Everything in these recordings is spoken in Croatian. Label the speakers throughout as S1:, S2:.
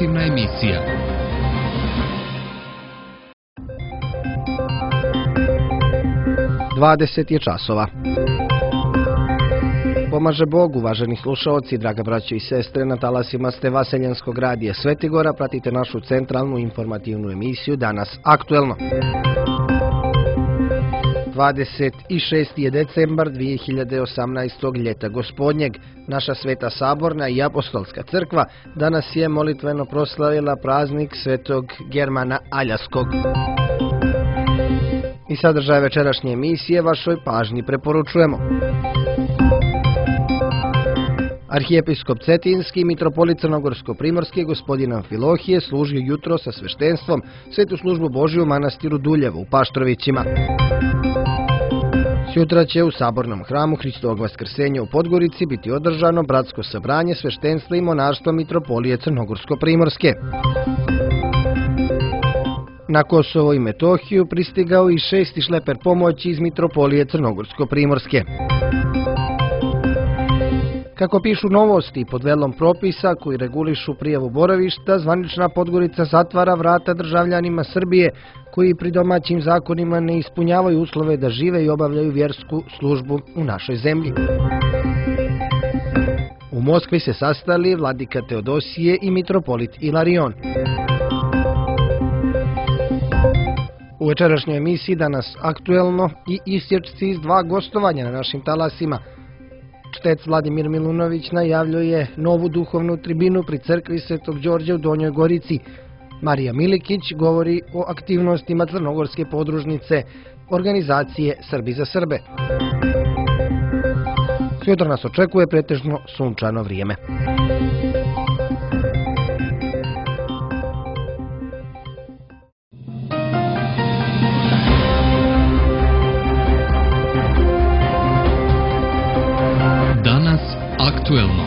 S1: informativna emisija.
S2: Dvadeset je časova. Pomaže Bog, uvaženi slušaoci, draga braćo i sestre, na talasima ste Vaseljenskog radija Svetigora, pratite našu centralnu informativnu emisiju Danas aktuelno. 26. je decembar 2018. ljeta gospodnjeg. Naša Sveta Saborna i Apostolska crkva danas je molitveno proslavila praznik Svetog Germana Aljaskog. I sadržaj večerašnje emisije vašoj pažnji preporučujemo. Arhijepiskop Cetinski i mitropolit Crnogorsko-primorski gospodin Amfilohije služio jutro sa sveštenstvom svetu službu Božju u manastiru Duljevo u Paštrovićima. Sutra će u Sabornom hramu Hristovog Vaskrsenja u Podgorici biti održano bratsko sabranje sveštenstva i monaštva mitropolije Crnogorsko-primorske. Na Kosovo i Metohiju pristigao i 6. šleper pomoći iz mitropolije Crnogorsko-primorske. Kako pišu novosti pod velom propisa koji regulišu prijavu boravišta, zvanična Podgorica zatvara vrata državljanima Srbije koji pri domaćim zakonima ne ispunjavaju uslove da žive i obavljaju vjersku službu u našoj zemlji. U Moskvi se sastali vladika Teodosije i mitropolit Ilarion. U večerašnjoj emisiji Danas aktuelno i isječci iz 2 gostovanja na našim talasima. Čtec Vladimir Milunović najavljuje novu duhovnu tribinu pri crkvi Svetog Đorđa u Donjoj Gorici. Marija Milikić govori o aktivnostima Crnogorske podružnice organizacije Srbi za Srbe. Sutra nas očekuje pretežno sunčano vrijeme.
S1: Aktuelno.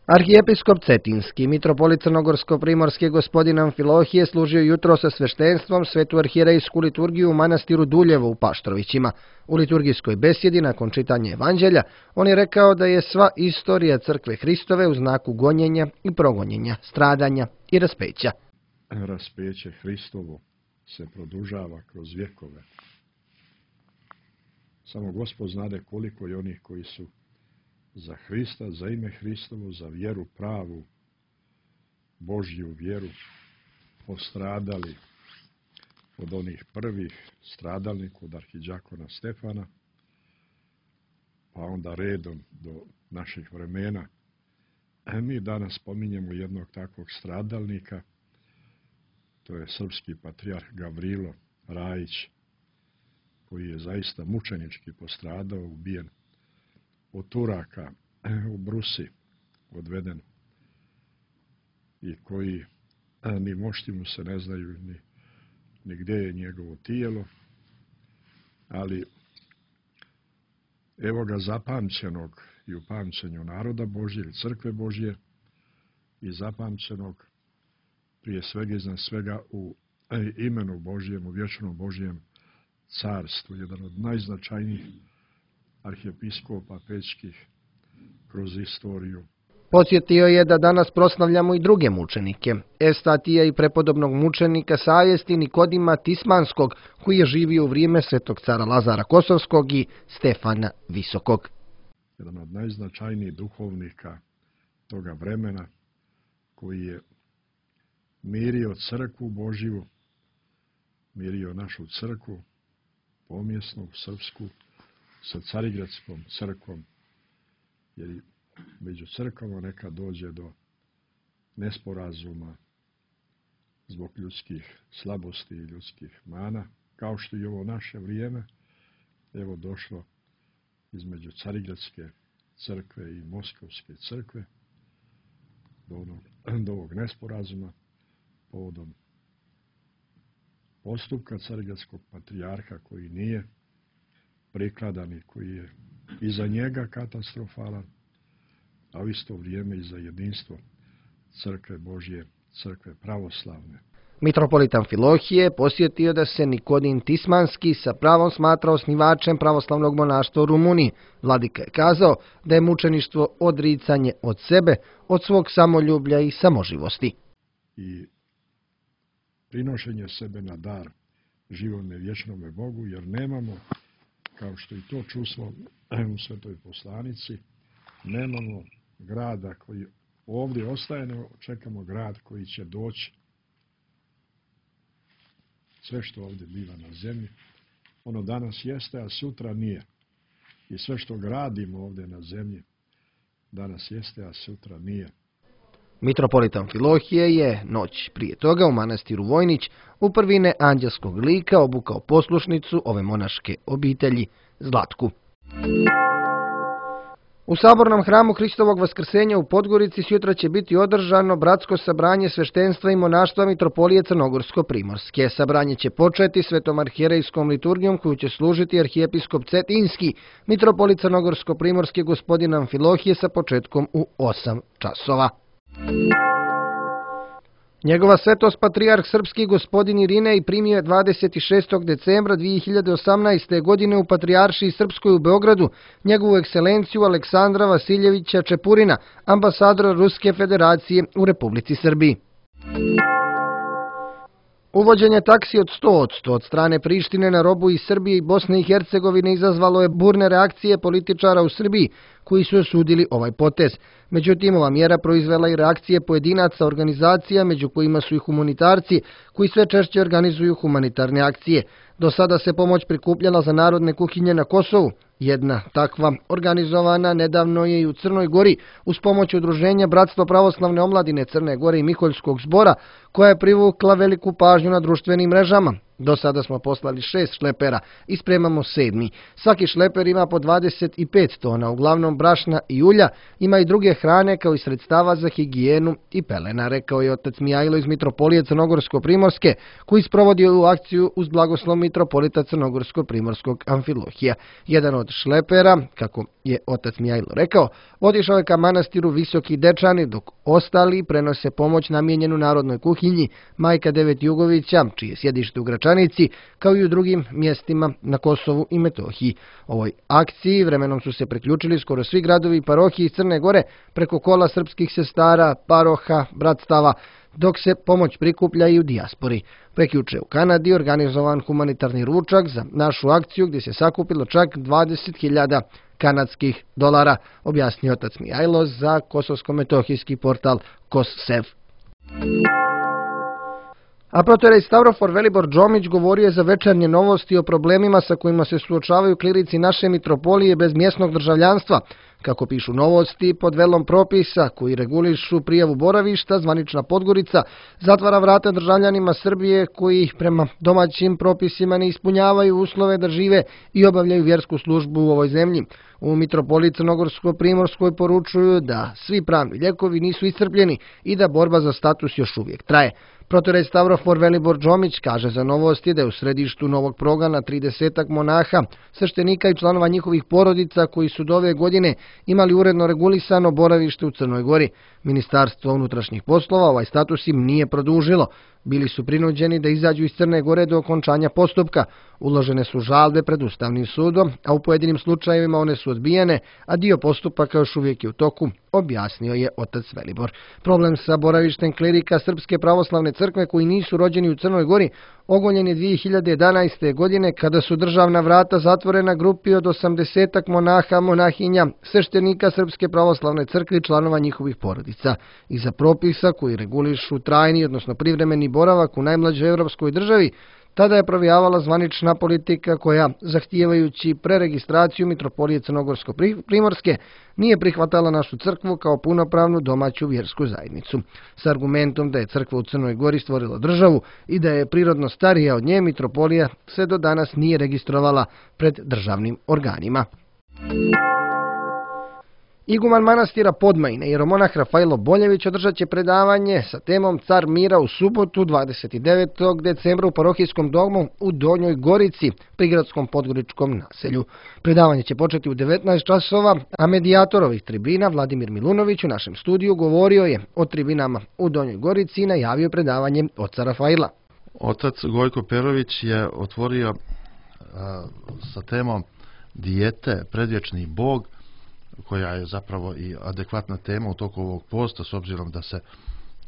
S2: Arhijepiskop Cetinski, mitropolit Crnogorsko-primorski gospodin Amfilohije služio jutro sa sveštenstvom svetu arhijerejsku liturgiju u manastiru Duljevo u Paštrovićima. U liturgijskoj besjedi nakon čitanja evanđelja on je rekao da je sva istorija crkve Hristove u znaku gonjenja i progonjenja, stradanja i raspeća.
S3: Raspeće Hristovo se produžava kroz vjekove. Samo Gospod znade koliko je onih koji su za Hrista, za ime Hristovo, za vjeru pravu, Božju vjeru, postradali od onih prvih stradalnika, od arhidžakona Stefana, pa onda redom do naših vremena. Mi danas spominjemo jednog takvog stradalnika, to je srpski patrijarh Gavrilo Rajić, koji je zaista mučenički postradao, ubijen od Turaka u Brusi, odveden, i koji ni mošti mu se ne znaju ni gdje je njegovo tijelo, ali evo ga zapamćenog i u pamćenju naroda Božje i crkve Božje i zapamćenog prije svega iznad svega u imenu Božjem, u vječnom Božjem carstvu, jedan od najznačajnijih arhijepiskopa pečkih kroz istoriju.
S2: Podsjetio je da danas proslavljamo i druge mučenike, Evstatija i prepodobnog mučenika savjesti Nikodima Tismanskog, koji je živio u vrijeme svetog cara Lazara Kosovskog i Stefana Visokog.
S3: Jedan od najznačajnijih duhovnika toga vremena, koji je mirio crkvu Božju, mirio našu crkvu, pomjesnu, srpsku, sa Carigradskom crkvom, jer među crkvama nekad dođe do nesporazuma zbog ljudskih slabosti i ljudskih mana, kao što i ovo naše vrijeme, evo došlo između Carigradske crkve i Moskovske crkve do ovog nesporazuma povodom postupka Carigradskog patrijarha koji nije prikladan i koji je i za njega katastrofalan, a u isto vrijeme i za jedinstvo crkve Božje, crkve pravoslavne.
S2: Mitropolit Amfilohije posjetio da se Nikodin Tismanski sa pravom smatra osnivačem pravoslavnog monaštva u Rumuniji. Vladika je kazao da je mučeništvo odricanje od sebe, od svog samoljublja i samoživosti.
S3: I prinošenje sebe na dar živome vječnome Bogu, jer nemamo, kao što i to čusmo u Svetoj poslanici, nemamo grada koji ovdje ostaje, nego čekamo grad koji će doći. Sve što ovdje biva na zemlji, ono danas jeste, a sutra nije. I sve što gradimo ovdje na zemlji, danas jeste, a sutra nije.
S2: Mitropolit Amfilohije je noć prije toga u manastiru Vojnić u prvine anđelskog lika obukao poslušnicu ove monaške obitelji Zlatku. U sabornom hramu Hristovog vaskrsenja u Podgorici sutra će biti održano bratsko sabranje sveštenstva i monaštva Mitropolije Crnogorsko-Primorske. Sabranje će početi svetom arhijerejskom liturgijom koju će služiti arhijepiskop Cetinski, mitropolit Crnogorsko-Primorske gospodin Amfilohije sa početkom u 8 časova. Njegova svetost patrijarh srpski gospodin Irinej primio je 26. decembra 2018. godine u Patrijaršiji Srpskoj u Beogradu njegovu ekscelenciju Aleksandra Vasiljevića Čepurina, ambasadora Ruske federacije u Republici Srbiji. Uvođenje taksi od 100% od strane Prištine na robu iz Srbije i Bosne i Hercegovine izazvalo je burne reakcije političara u Srbiji koji su osudili ovaj potez. Međutim, ova mjera proizvela i reakcije pojedinaca, organizacija, među kojima su i humanitarci, koji sve češće organizuju humanitarne akcije. Do sada se pomoć prikupljala za narodne kuhinje na Kosovu. Jedna takva organizovana nedavno je i u Crnoj Gori uz pomoć udruženja Bratstvo pravoslavne omladine Crne Gore i Miholjskog zbora, koja je privukla veliku pažnju na društvenim mrežama. Do sada smo poslali 6 šlepera i spremamo 7. Svaki šleper ima po 25 tona, uglavnom brašna i ulja, ima i druge hrane kao i sredstava za higijenu i pelena, rekao je otac Mijajlo iz Mitropolije Crnogorsko-Primorske, koji sprovodi ovu akciju uz blagoslov mitropolita Crnogorsko-Primorskog Amfilohija. Jedan od šlepera, kako je otac Mijajlo rekao, otišao je ka manastiru Visoki Dečani, dok ostali prenose pomoć namijenjenu narodnoj kuhinji Majka Devet Jugovića, čije sjedište u Gračanici, kao i u drugim mjestima na Kosovu i Metohiji. Ovoj akciji vremenom su se priključili skoro svi gradovi i parohiji iz Crne Gore preko kola srpskih sestara, paroha, bratstava, dok se pomoć prikuplja i u dijaspori. Prekjuče u Kanadi organizovan humanitarni ručak za našu akciju gdje se sakupilo čak 20.000 kanadskih dolara, objasnio otac Mijajlo za kosovsko-metohijski portal KosSev. A protorej Stavrofor Velibor Džomić govorio je za Večernje novosti o problemima sa kojima se suočavaju klirici naše mitropolije bez mjesnog državljanstva. Kako pišu Novosti, pod velom propisa koji regulišu prijavu boravišta, zvanična Podgorica zatvara vrata državljanima Srbije koji prema domaćim propisima ne ispunjavaju uslove da žive i obavljaju vjersku službu u ovoj zemlji. U mitropoliji Crnogorsko-Primorskoj poručuju da svi pravni lijekovi nisu iscrpljeni i da borba za status još uvijek traje. Protorej Stavrofor Velibor Džomić kaže za Novosti da je u središtu novog programa 30 monaha, sveštenika i članova njihovih porodica koji su do ove godine imali uredno regulisano boravište u Crnoj Gori. Ministarstvo unutrašnjih poslova ovaj status im nije produžilo. Bili su prinuđeni da izađu iz Crne Gore do okončanja postupka. Uložene su žalbe pred Ustavnim sudom, a u pojedinim slučajevima one su odbijene, a dio postupaka još uvijek je u toku, objasnio je otac Velibor. Problem sa boravištem klerika Srpske pravoslavne crkve koji nisu rođeni u Crnoj Gori ogoljen je 2011. godine kada su državna vrata zatvorena grupi od 80 monaha, monahinja, sveštenika Srpske pravoslavne crkve i članova njihovih porodica. Iza propisa koji regulišu trajni, odnosno privremeni boravak u najmlađoj evropskoj državi, tada je provijavala zvanična politika koja, zahtijevajući preregistraciju mitropolije Crnogorsko-Primorske, nije prihvatala našu crkvu kao punopravnu domaću vjersku zajednicu. S argumentom da je crkva u Crnoj Gori stvorila državu i da je prirodno starija od nje, mitropolija se do danas nije registrovala pred državnim organima. Iguman manastira Podmajine, jeromonah Rafailo Boljević, održat će predavanje sa temom Car mira u subotu 29. decembra u parohijskom domu u Donjoj Gorici, prigradskom podgoričkom naselju. Predavanje će početi u 19 časova, a medijator ovih tribina Vladimir Milunović u našem studiju govorio je o tribinama u Donjoj Gorici i najavio predavanje oca Rafaila.
S1: Otac Gojko Perović je otvorio sa temom dijete, predvječni Bog, koja je zapravo i adekvatna tema u toku ovog posta, s obzirom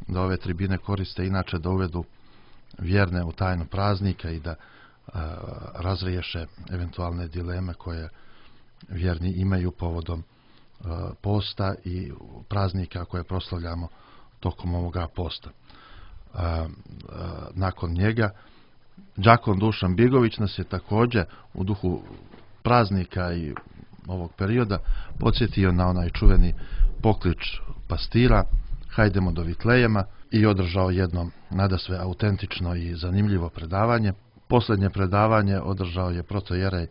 S1: da ove tribine koriste inače da uvedu vjerne u tajnu praznika i da razriješe eventualne dileme koje vjerni imaju povodom posta i praznika koje proslavljamo tokom ovoga posta. Nakon njega đakon Dušan Bigović nas je također u duhu praznika i ovog perioda podsjetio na onaj čuveni poklič pastira hajdemo do Vitlejema i održao jedno nadasve autentično i zanimljivo predavanje. Posljednje predavanje održao je protojerej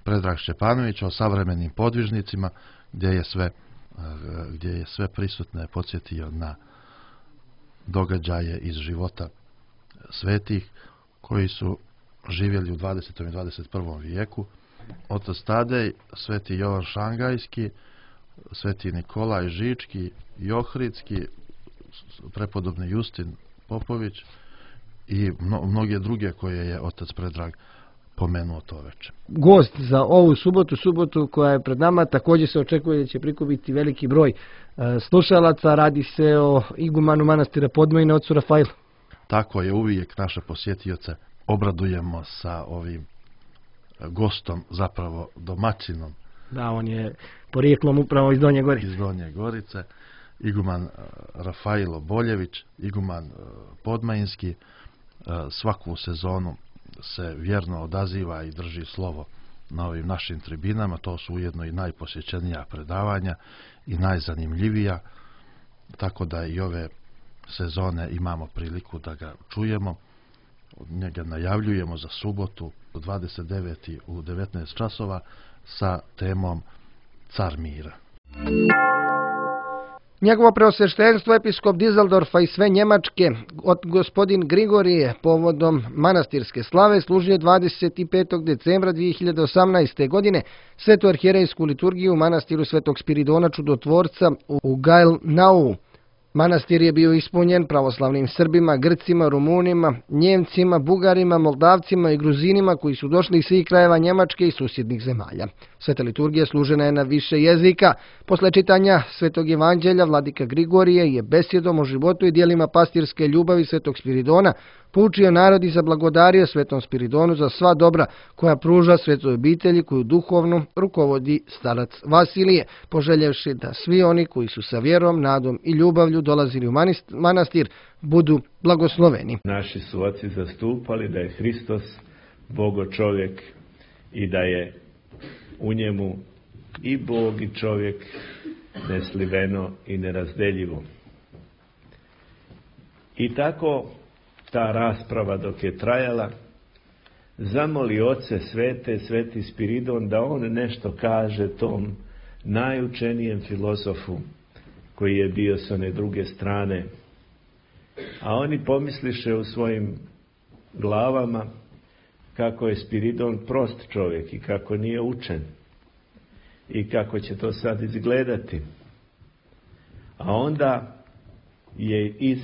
S1: Predrag Šćepanović o savremenim podvižnicima, gdje je sve prisutne podsjetio na događaje iz života svetih koji su živjeli u 20. i 21. vijeku. Otac Tadej, sveti Jovan Šangajski, sveti Nikolaj Žički i Ohridski, prepodobni Justin Popović i mnoge druge koje je otac Predrag pomenuo to večer.
S2: Gost za ovu subotu koja je pred nama, također se očekuje da će prikupiti veliki broj slušalaca. Radi se o igumanu manastira Podmajine, ocu Rafailu.
S1: Tako je, uvijek naše posjetioce obradujemo sa ovim gostom, zapravo domaćinom.
S2: Da, on je porijeklom upravo iz Donje Gorice.
S1: Iz Donje Gorice, iguman Rafailo Boljević, iguman Podmajinski, svaku sezonu se vjerno odaziva i drži slovo na ovim našim tribinama. To su ujedno i najposjećenija predavanja i najzanimljivija, tako da i ove sezone imamo priliku da ga čujemo. Njega najavljujemo za subotu 29. u 19 časova sa temom Car mira.
S2: Njegovo preosveštenstvo episkop Dizeldorfa i sve Njemačke, gospodin Grigorije, povodom manastirske slave služio 25. decembra 2018. godine svetu arhijerejsku liturgiju u manastiru Svetog Spiridona Čudotvorca u Gailnau. Manastir je bio ispunjen pravoslavnim Srbima, Grcima, Rumunima, Njemcima, Bugarima, Moldavcima i Gruzinima koji su došli iz svih krajeva Njemačke i susjednih zemalja. Sveta liturgija služena je na više jezika. Posle čitanja Svetog evanđelja vladika Grigorije je besjedom o životu i dijelima pastirske ljubavi Svetog Spiridona poučio narod i zablagodario Svetom Spiridonu za sva dobra koja pruža svetoj obitelji koju duhovno rukovodi starac Vasilije, poželjevši da svi oni koji su sa vjerom, nadom i ljubavlju dolazili u manastir budu blagosloveni.
S4: Naši su oci zastupali da je Hristos Bogo čovjek i da je u njemu i Bog i čovjek nesliveno i nerazdeljivo. I tako ta rasprava dok je trajala, zamoli oce svete, sveti Spiridon, da on nešto kaže tom najučenijem filozofu koji je bio s one druge strane. A oni pomisliše u svojim glavama kako je Spiridon prost čovjek i kako nije učen i kako će to sad izgledati. A onda je iz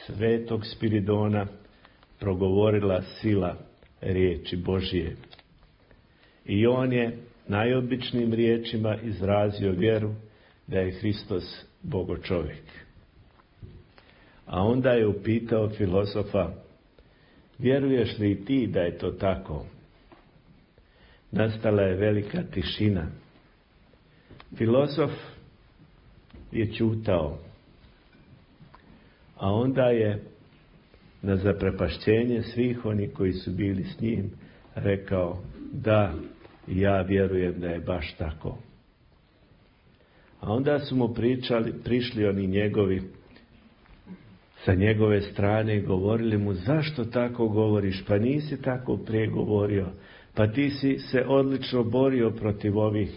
S4: svetog Spiridona progovorila sila riječi Božije. I on je najobičnijim riječima izrazio vjeru da je Hristos Bogo čovjek. A onda je upitao filozofa: vjeruješ li i ti da je to tako? Nastala je velika tišina. Filozof je ćutao. A onda je na zaprepašćenje svih onih koji su bili s njim rekao: da, ja vjerujem da je baš tako. A onda su mu prišli oni njegovi sa njegove strane i govorili mu: zašto tako govoriš? Pa nisi tako prije govorio. Pa ti si se odlično borio protiv ovih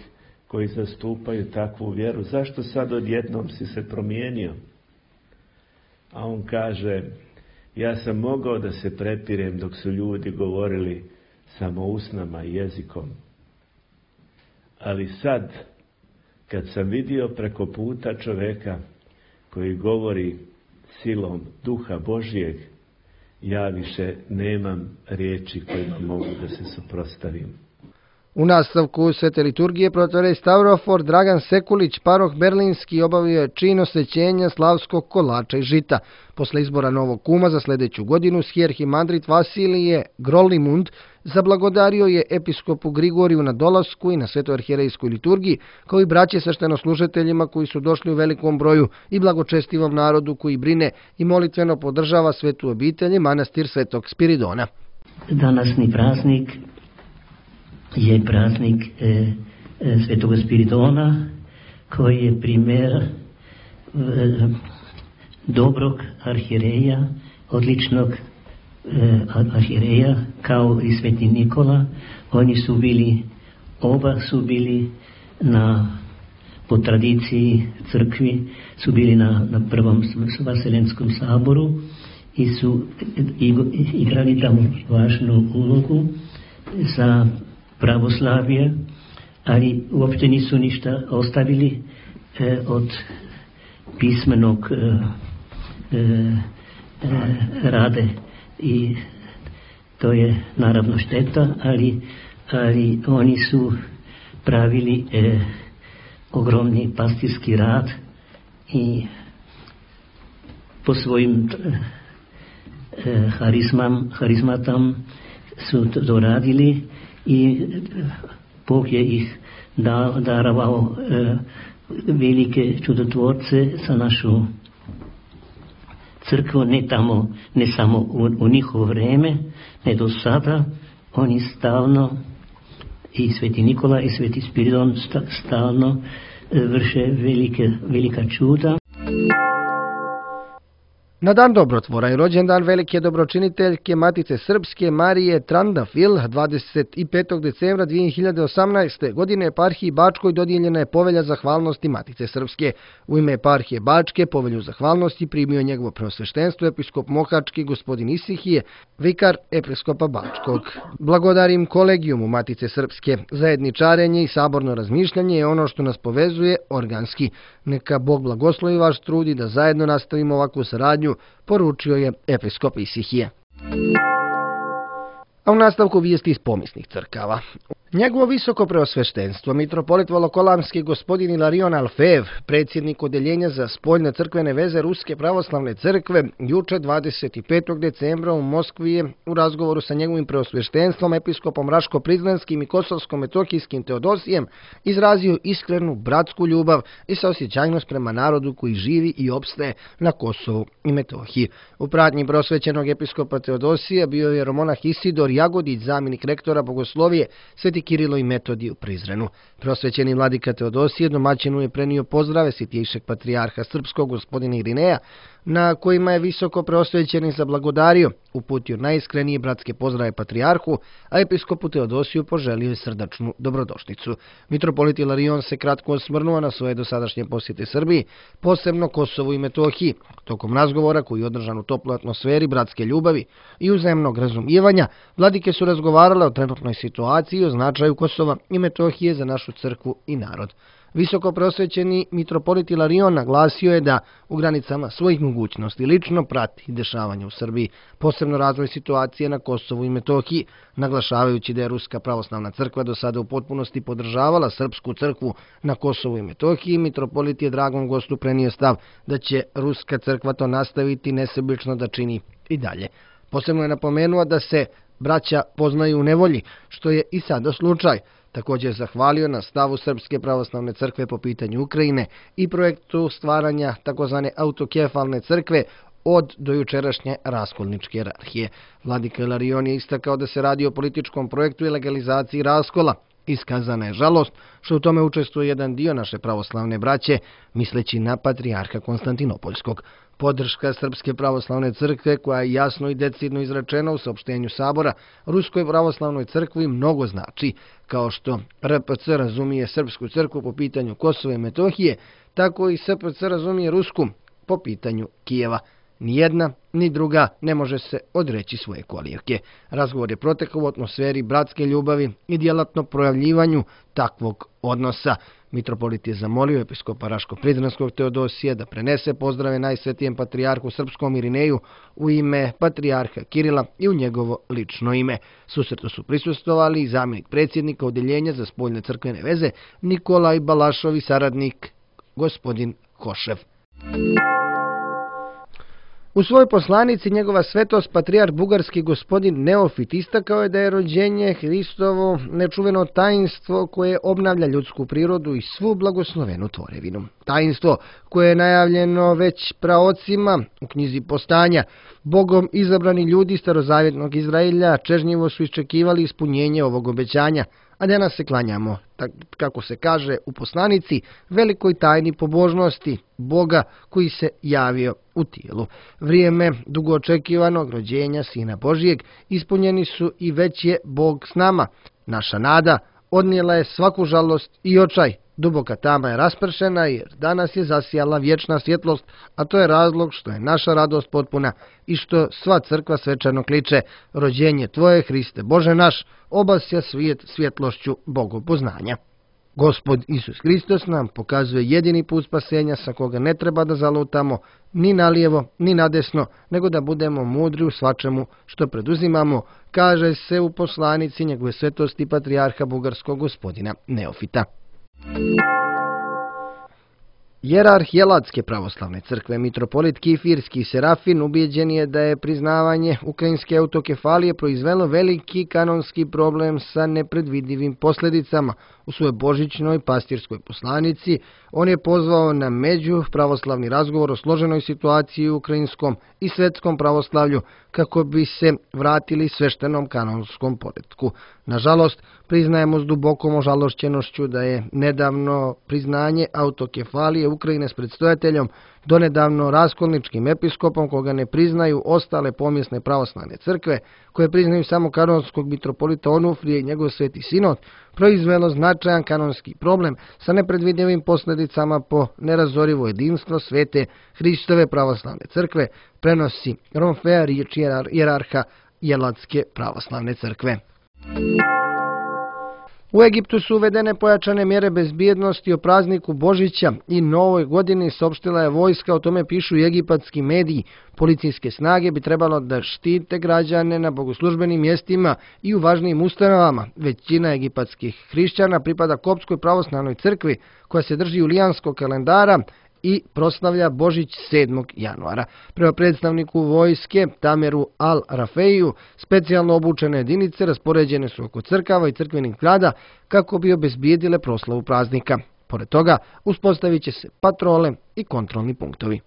S4: koji zastupaju takvu vjeru. Zašto sad odjednom si se promijenio? A on kaže: ja sam mogao da se prepirem dok su ljudi govorili samo usnama i jezikom. Ali sad, kad sam vidio preko puta čoveka koji govori silom Duha Božijeg, ja više nemam riječi kojima mogu da se suprotstavim.
S2: U nastavku Svete liturgije protorej Stavrofor Dragan Sekulić, paroh Berlinski, obavio je čin osvećenja slavskog kolača i žita. Posle izbora novog kuma za sljedeću godinu, sjerhimandrit Vasilije Grolimund zablagodario je episkopu Grigoriju na dolasku i na svetoarhijerejskoj liturgiji, kao i braće sveštenoslужiteljima koji su došli u velikom broju i blagočestivom narodu koji brine i molitveno podržava svetu obitelj i manastir Svetog Spiridona.
S5: Danasni praznik je praznik Svetog Spiridona, koji je primjer dobrog arhijereja, odličnog arhijereja, kao i Sveti Nikola. Oni su bili, oba su bili po tradiciji crkvi, su bili na prvom Vaseljenskom saboru i su igrali tamo važnu ulogu za pravoslavije, ali uopšte nisu ništa ostavili od pismenog rade i to je naravno šteta, ali oni su pravili ogromni pastirski rad i po svojim harizmatam su to radili i Bog je ih darovao velike čudotvorce za našu crkvu, ne samo u njihovo vreme, ne do sada. Oni stalno, i Sveti Nikola i Sveti Spiridon stalno vrše velika čuda.
S2: Na dan dobrotvora i rođendan velike dobročiniteljke Matice Srpske Marije Trandafil 25. decembra 2018. godine eparhiji Bačkoj dodijeljena je povelja zahvalnosti Matice Srpske. U ime eparhije Bačke povelju zahvalnosti primio njegovo preosveštenstvo episkop Mohački gospodin Isihije, vikar episkopa Bačkog. Blagodarim kolegijumu Matice Srpske. Zajedničarenje i saborno razmišljanje je ono što nas povezuje organski. Neka Bog blagoslovi vaš trud i da zajedno nastavimo ovakvu saradnju, poručio je episkop Isihije. A u nastavku vijesti iz pomisnih crkava. Njegovo visoko preosveštenstvo, mitropolit Volokolamski gospodin Ilarion Alfeev, predsjednik Odeljenja za spoljne crkvene veze Ruske pravoslavne crkve, juče 25. decembra u Moskvi je u razgovoru sa njegovim preosveštenstvom, episkopom Raško-Prizrenskim i Kosovsko-Metokijskim Teodosijem, izrazio iskrenu bratsku ljubav i saosjećajnost prema narodu koji živi i opstaje na Kosovu i Metohiji. U pratnji prosvećenog episkopa Teodosija bio je jeromonah Isidor Jagodić, zamjenik rektora bogoslovije Sveti Kirilo i Metodij u Prizrenu. Prosvećeni vladika Teodosije domaćinu je prenio pozdrave svjetijšeg patrijarha srpskog gospodina Irineja, na kojima je visoko preosvećeni zablagodario, uputio najiskrenije bratske pozdrave patrijarhu, a episkopu Teodosiju poželio je srdačnu dobrodošlicu. Mitropolit Ilarion se kratko osvrnuo na svoje dosadašnje posjete Srbiji, posebno Kosovu i Metohiji. Tokom razgovora, koji je održan u toploj atmosferi bratske ljubavi i uzajamnog razumijevanja, vladike su razgovarale o trenutnoj situaciji i o značaju Kosova i Metohije za našu crkvu i narod. Visoko preosvećeni mitropolit Ilarion naglasio je da u granicama svojih mogućnosti lično prati dešavanja u Srbiji, posebno razvoj situacije na Kosovu i Metohiji, naglašavajući da je Ruska pravoslavna crkva do sada u potpunosti podržavala srpsku crkvu na Kosovu i Metohiji. Mitropolit je dragom gostu prenio stav da će Ruska crkva to nastaviti nesebično da čini i dalje. Posebno je napomenuo da se braća poznaju u nevolji, što je i sada slučaj. Također je zahvalio na stavu Srpske pravoslavne crkve po pitanju Ukrajine i projektu stvaranja takozvane autokefalne crkve od dojučerašnje raskolničke jerarhije. Vladika Ilarion je istakao da se radi o političkom projektu i legalizaciji raskola. Iskazana je žalost što u tome učestvuje jedan dio naše pravoslavne braće, misleći na patrijarha Konstantinopoljskog. Podrška Srpske pravoslavne crkve, koja je jasno i decidno izrečena u saopštenju sabora, Ruskoj pravoslavnoj crkvi mnogo znači. Kao što RPC razumije Srpsku crkvu po pitanju Kosova i Metohije, tako i SPC razumije Rusku po pitanju Kijeva. Ni jedna, ni druga ne može se odreći svoje kolijevke. Razgovor je protekao u atmosferi bratske ljubavi i djelatno projavljivanju takvog odnosa. Mitropolit je zamolio episkopa Raško-Prizrenskog Teodosija da prenese pozdrave najsvetijem patrijarhu srpskom Irineju u ime patrijarha Kirila i u njegovo lično ime. Susretu su prisustvovali i zamjenik predsjednika Odeljenja za spoljne crkvene veze Nikolaj Balašov i saradnik gospodin Košev. U svojoj poslanici njegova svetost patrijarh bugarski gospodin Neofit istakao je da je rođenje Hristovo nečuveno tajinstvo koje obnavlja ljudsku prirodu i svu blagoslovenu tvorevinu. Tajinstvo koje je najavljeno već praocima u knjizi Postanja. Bogom izabrani ljudi starozavjetnog Izraelja čežnjivo su iščekivali ispunjenje ovog obećanja, a danas se klanjamo, kako se kaže u poslanici, velikoj tajni pobožnosti Boga koji se javio u tijelu. Vrijeme dugo očekivanog rođenja Sina Božijeg ispunjeni su i već je Bog s nama. Naša nada odnijela je svaku žalost i očaj. Duboka tama je raspršena jer danas je zasijala vječna svjetlost, a to je razlog što je naša radost potpuna i što sva crkva svečano kliče: rođenje Tvoje, Hriste Bože naš, obasja svijet svjetlošću Bogopoznanja. Gospod Isus Hristos nam pokazuje jedini put spasenja sa koga ne treba da zalutamo ni nalijevo ni nadesno, nego da budemo mudri u svačemu što preduzimamo, kaže se u poslanici njegove svetosti patrijarha bugarskog gospodina Neofita. Jerarh Jelatske pravoslavne crkve mitropolit Kifirski Serafin ubijeđen je da je priznavanje ukrajinske autokefalije proizvelo veliki kanonski problem sa nepredvidivim posljedicama. U svojoj božićnoj pastirskoj poslanici on je pozvao na međupravoslavni razgovor o složenoj situaciji u ukrajinskom i svetskom pravoslavlju kako bi se vratili sveštenom kanonskom poretku. Nažalost, priznajemo s dubokom ožalošćenošću da je nedavno priznanje autokefalije Ukrajine s predstojateljom, donedavno raskolničkim episkopom koga ne priznaju ostale pomjesne pravoslavne crkve, koje priznaju samo kanonskog mitropolita Onufrije i njegov sveti sinod, proizvelo značajan kanonski problem sa nepredvidivim posljedicama po nerazorivo jedinstvo svete Hristove pravoslavne crkve, prenosi Romfea riječ jerarha Jelatske pravoslavne crkve. U Egiptu su uvedene pojačane mjere bezbjednosti o prazniku Božića i Novoj godini, saopštila je vojska, o tome pišu i egipatski mediji. Policijske snage bi trebalo da štite građane na bogoslužbenim mjestima i u važnijim ustanovama. Većina egipatskih hrišćana pripada Koptskoj pravoslavnoj crkvi koja se drži julijanskog kalendara i proslavlja Božić 7. januara. Prema predstavniku vojske Tameru Al-Rafeiju, specijalno obučene jedinice raspoređene su oko crkava i crkvenih zgrada kako bi obezbijedile proslavu praznika. Pored toga, uspostavit će se patrole i kontrolni punktovi.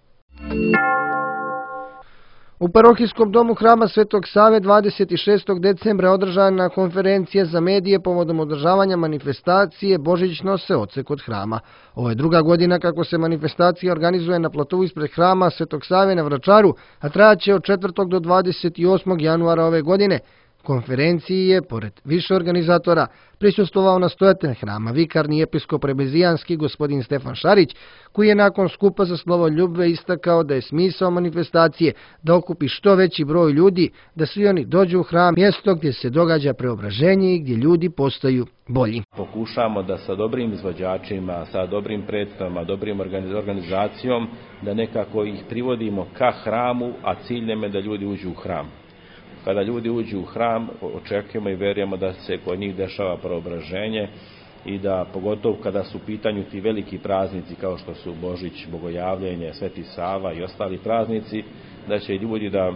S2: U parohijskom domu hrama Svetog Save 26. decembra održana konferencija za medije povodom održavanja manifestacije Božićno se oce kod hrama. Ovo je druga godina kako se manifestacija organizuje na platovu ispred hrama Svetog Save na Vračaru, a trajaće od 4. do 28. januara ove godine. Konferenciji je, pored više organizatora, prisustvovao nastojatelj hrama, vikarni episkop rebezijanski gospodin Stefan Šarić, koji je nakon skupa za slovo ljubve istakao da je smisao manifestacije da okupi što veći broj ljudi, da svi oni dođu u hram, mjesto gdje se događa preobraženje i gdje ljudi postaju bolji.
S6: Pokušamo da sa dobrim izvođačima, sa dobrim predstavama, dobrim organizacijom, da nekako ih privodimo ka hramu, a cilj nam je da ljudi uđu u hram. Kada ljudi uđu u hram, očekujemo i vjerujemo da se kod njih dešava preobraženje i da, pogotovo kada su u pitanju ti veliki praznici kao što su Božić, Bogojavljenje, Sveti Sava i ostali praznici, da će ljudi da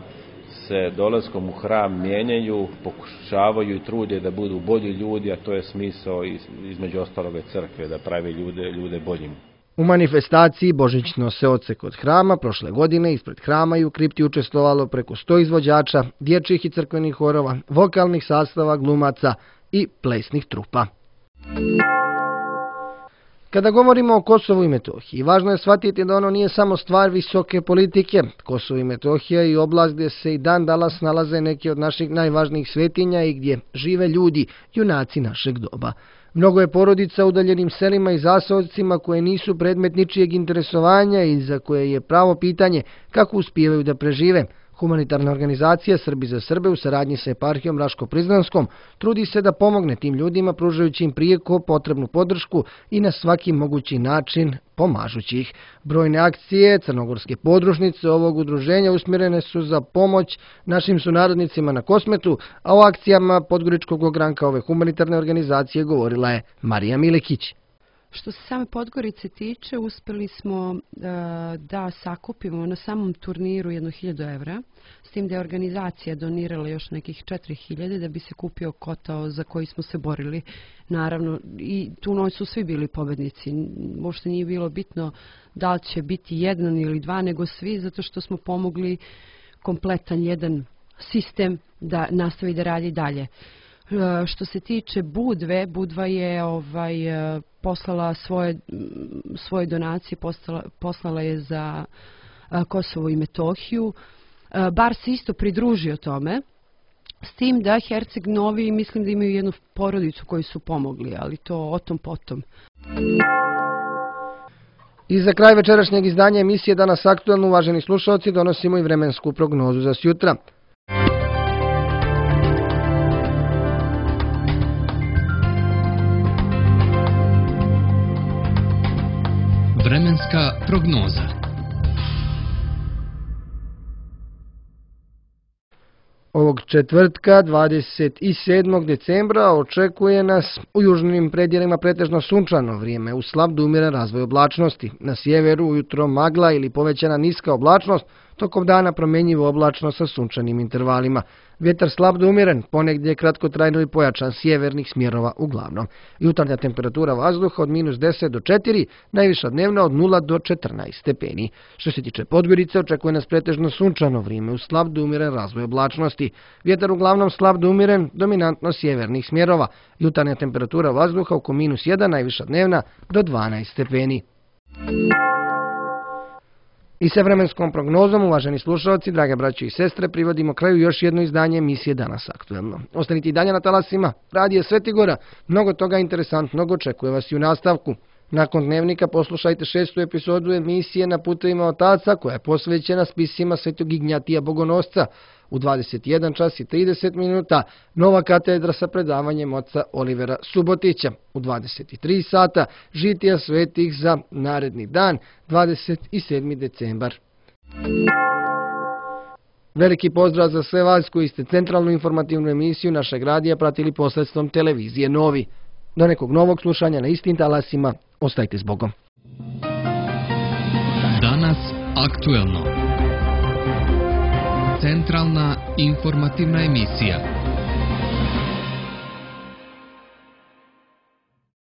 S6: se dolaskom u hram mijenjaju, pokušavaju i trude da budu bolji ljudi, a to je smisao između ostaloga crkve, da pravi ljude boljim.
S2: U manifestaciji Božićno se oce kod hrama prošle godine ispred hrama i u kripti učestvovalo preko 100 izvođača, dječjih i crkvenih horova, vokalnih sastava, glumaca i plesnih trupa. Kada govorimo o Kosovu i Metohiji, važno je shvatiti da ono nije samo stvar visoke politike. Kosovo i Metohija i oblast gdje se i dan danas nalaze neki od naših najvažnijih svetinja i gdje žive ljudi, junaci našeg doba. Mnogo je porodica u udaljenim selima i zaseocima koje nisu predmet ničijeg interesovanja i za koje je pravo pitanje kako uspijevaju da prežive. Humanitarna organizacija Srbi za Srbe u saradnji sa eparhijom Raško-Prizrenskom trudi se da pomogne tim ljudima pružajući im prijeko potrebnu podršku i na svaki mogući način pomažući ih. Brojne akcije crnogorske podružnice ovog udruženja usmjerene su za pomoć našim sunarodnicima na Kosmetu, a o akcijama Podgoričkog ogranka ove humanitarne organizacije govorila je Marija Milikić.
S7: Što se same Podgorice tiče, uspjeli smo da sakupimo na samom turniru 1.000 evra, s tim da je organizacija donirala još nekih 4.000 da bi se kupio kotao za koji smo se borili. Naravno, i tu noć su svi bili pobednici. Uopšte nije bilo bitno da li će biti jedan ili dva, nego svi, zato što smo pomogli kompletan jedan sistem da nastavi da radi dalje. Što se tiče Budve, Budva je poslala svoje donacije, poslala je za Kosovo i Metohiju. Bar se isto pridružio tome, s tim da Herceg Novi, mislim da imaju jednu porodicu koju su pomogli, ali to o tom potom.
S2: I za kraj večerašnjeg izdanja emisije Danas aktuelno, uvaženi slušalci, donosimo i vremensku prognozu za sjutra.
S8: Vremenska prognoza.
S2: Ovog četvrtka, 27. decembra, očekuje nas u južnim predjelima pretežno sunčano vrijeme, uz slab do umjeren razvoj oblačnosti. Na sjeveru ujutro magla ili povećana niska oblačnost, tokom dana promjenjivo oblačno sa sunčanim intervalima. Vjetar slab do umjeren, ponegdje kratkotrajno i pojačan sjevernih smjerova uglavnom. Jutarnja temperatura vazduha od -10 do 4, najviša dnevna od 0 do 14 stepeni. Što se tiče Podgorice, očekuje nas pretežno sunčano vrijeme uz slab do umjeren razvoj oblačnosti. Vjetar uglavnom slab do umjeren, dominantno sjevernih smjerova. Jutarnja temperatura vazduha oko -1, najviša dnevna do 12 stepeni. I sa vremenskom prognozom, uvaženi slušalci, drage braće i sestre, privodimo kraju još jedno izdanje emisije Danas aktuelno. Ostanite i dalje na talasima Radija Svetigora, mnogo toga interesantnog očekuje vas i u nastavku. Nakon dnevnika poslušajte 6. epizodu emisije Na putovima otaca, koja je posvećena spisima Svetog Ignjatija Bogonosca. U 21 čas i 30 minuta nova katedra sa predavanjem oca Olivera Subotića. U 23 sata žitija svetih za naredni dan, 27. decembar. Veliki pozdrav za sve vas koji ste centralnu informativnu emisiju našeg radija pratili posredstvom televizije Novi. Do nekog novog slušanja na istim talasima, ostajte s Bogom.
S8: Danas aktuelno. Centralna informativna emisija.